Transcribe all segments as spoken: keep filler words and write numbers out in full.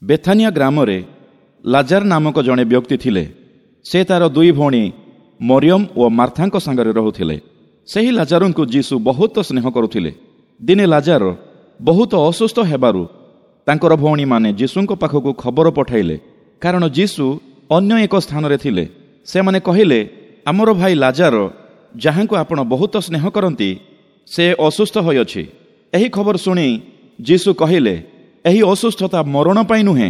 ବେଥାନିଆ ଗ୍ରାମରେ ଲାଜାର ନାମକ ଜଣେ ବ୍ୟକ୍ତି ଥିଲେ। ସେ ତାର ଦୁଇ ଭଉଣୀ ମରିୟମ ଓ ମାର୍ଥାଙ୍କ ସାଙ୍ଗରେ ରହୁଥିଲେ। ସେହି ଲାଜାରଙ୍କୁ ଯୀଶୁ ବହୁତ ସ୍ନେହ କରୁଥିଲେ। ଦିନେ ଲାଜାର ବହୁତ ଅସୁସ୍ଥ ହେବାରୁ ତାଙ୍କର ଭଉଣୀମାନେ ଯୀଶୁଙ୍କ ପାଖକୁ ଖବର ପଠାଇଲେ, କାରଣ ଯୀଶୁ ଅନ୍ୟ ଏକ ସ୍ଥାନରେ ଥିଲେ। ସେମାନେ କହିଲେ, ଆମର ଭାଇ ଲାଜାର, ଯାହାଙ୍କୁ ଆପଣ ବହୁତ ସ୍ନେହ କରନ୍ତି, ସେ ଅସୁସ୍ଥ ହୋଇଅଛି। ଏହି ଖବର ଶୁଣି ଯୀଶୁ କହିଲେ, ଏହି ଅସୁସ୍ଥତା ମରଣ ପାଇଁ ନୁହେଁ,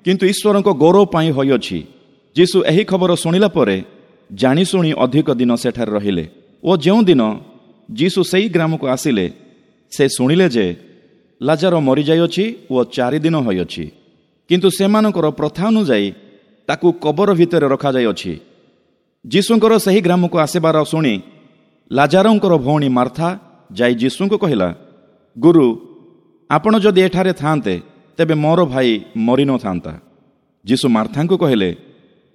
କିନ୍ତୁ ଈଶ୍ୱରଙ୍କ ଗୌରବ ପାଇଁ ହୋଇଅଛି। ଯୀଶୁ ଏହି ଖବର ଶୁଣିଲା ପରେ ଜାଣିଶୁଣି ଅଧିକ ଦିନ ସେଠାରେ ରହିଲେ ଓ ଯେଉଁଦିନ ଯୀଶୁ ସେହି ଗ୍ରାମକୁ ଆସିଲେ, ସେ ଶୁଣିଲେ ଯେ ଲାଜାର ମରିଯାଇଅଛି ଓ ଚାରିଦିନ ହୋଇଅଛି। କିନ୍ତୁ ସେମାନଙ୍କର ପ୍ରଥା ଅନୁଯାୟୀ ତାକୁ କବର ଭିତରେ ରଖାଯାଇଅଛି। ଯୀଶୁଙ୍କର ସେହି ଗ୍ରାମକୁ ଆସିବାର ଶୁଣି ଲାଜାରଙ୍କର ଭଉଣୀ ମାର୍ଥା ଯାଇ ଯୀଶୁଙ୍କୁ କହିଲା, ଗୁରୁ, ଆପଣ ଯଦି ଏଠାରେ ଥାଆନ୍ତେ ତେବେ ମୋର ଭାଇ ମରିନଥାନ୍ତା। ଯୀଶୁ ମାର୍ଥାଙ୍କୁ କହିଲେ,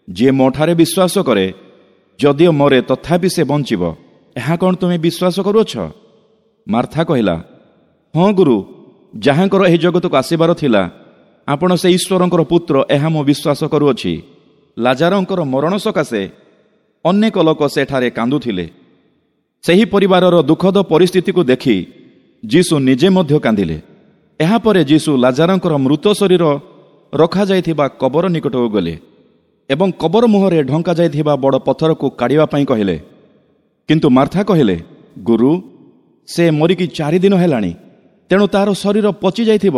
ଯିଏ ମୋଠାରେ ବିଶ୍ୱାସ କରେ, ଯଦିଓ ମରେ ତଥାପି ସେ ବଞ୍ଚିବ। ଏହା କ'ଣ ତୁମେ ବିଶ୍ୱାସ କରୁଅଛ? ମାର୍ଥା କହିଲା, ହଁ ଗୁରୁ, ଯାହାଙ୍କର ଏହି ଜଗତକୁ ଆସିବାର ଥିଲା, ଆପଣ ସେ ଈଶ୍ୱରଙ୍କର ପୁତ୍ର, ଏହା ମୁଁ ବିଶ୍ୱାସ କରୁଅଛି। ଲାଜାରଙ୍କର ମରଣ ସକାଶେ ଅନେକ ଲୋକ ସେଠାରେ କାନ୍ଦୁଥିଲେ। ସେହି ପରିବାରର ଦୁଃଖଦ ପରିସ୍ଥିତିକୁ ଦେଖି ଯୀଶୁ ନିଜେ ମଧ୍ୟ କାନ୍ଦିଲେ। ଏହାପରେ ଯୀଶୁ ଲାଜାରଙ୍କର ମୃତ ଶରୀର ରଖାଯାଇଥିବା କବର ନିକଟକୁ ଗଲେ ଏବଂ କବର ମୁହଁରେ ଢଙ୍କା ଯାଇଥିବା ବଡ଼ ପଥରକୁ କାଢ଼ିବା ପାଇଁ କହିଲେ। କିନ୍ତୁ ମାର୍ଥା କହିଲେ, ଗୁରୁ, ସେ ମରିକି ଚାରିଦିନ ହେଲାଣି, ତେଣୁ ତାହାର ଶରୀର ପଚି ଯାଇଥିବ।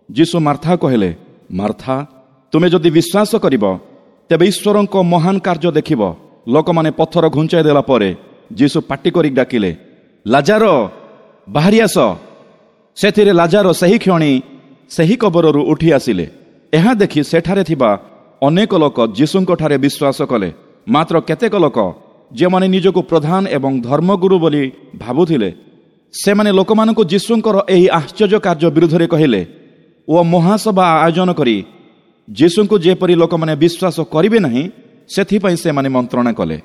ଯୀଶୁ ମାର୍ଥା କହିଲେ, ମାର୍ଥା, ତୁମେ ଯଦି ବିଶ୍ୱାସ କରିବ ତେବେ ଈଶ୍ୱରଙ୍କ ମହାନ କାର୍ଯ୍ୟ ଦେଖିବ। ଲୋକମାନେ ପଥର ଘୁଞ୍ଚାଇ ଦେଲା ପରେ ଯୀଶୁ ପାଟି କରି ଡାକିଲେ, ଲାଜାର, ବାହାରି ଆସ। ସେଥିରେ ଲାଜାର ସେହି କ୍ଷଣି ସେହି କବରରୁ ଉଠି ଆସିଲେ। ଏହା ଦେଖି ସେଠାରେ ଥିବା ଅନେକ ଲୋକ ଯୀଶୁଙ୍କଠାରେ ବିଶ୍ୱାସ କଲେ। ମାତ୍ର କେତେକ ଲୋକ, ଯେଉଁମାନେ ନିଜକୁ ପ୍ରଧାନ ଏବଂ ଧର୍ମଗୁରୁ ବୋଲି ଭାବୁଥିଲେ, ସେମାନେ ଲୋକମାନଙ୍କୁ ଯୀଶୁଙ୍କର ଏହି ଆଶ୍ଚର୍ଯ୍ୟ କାର୍ଯ୍ୟ ବିରୁଦ୍ଧରେ କହିଲେ ଓ ମହାସଭା ଆୟୋଜନ କରି ଯୀଶୁଙ୍କୁ ଯେପରି ଲୋକମାନେ ବିଶ୍ୱାସ କରିବେ ନାହିଁ, ସେଥିପାଇଁ ସେମାନେ ମନ୍ତ୍ରଣା କଲେ।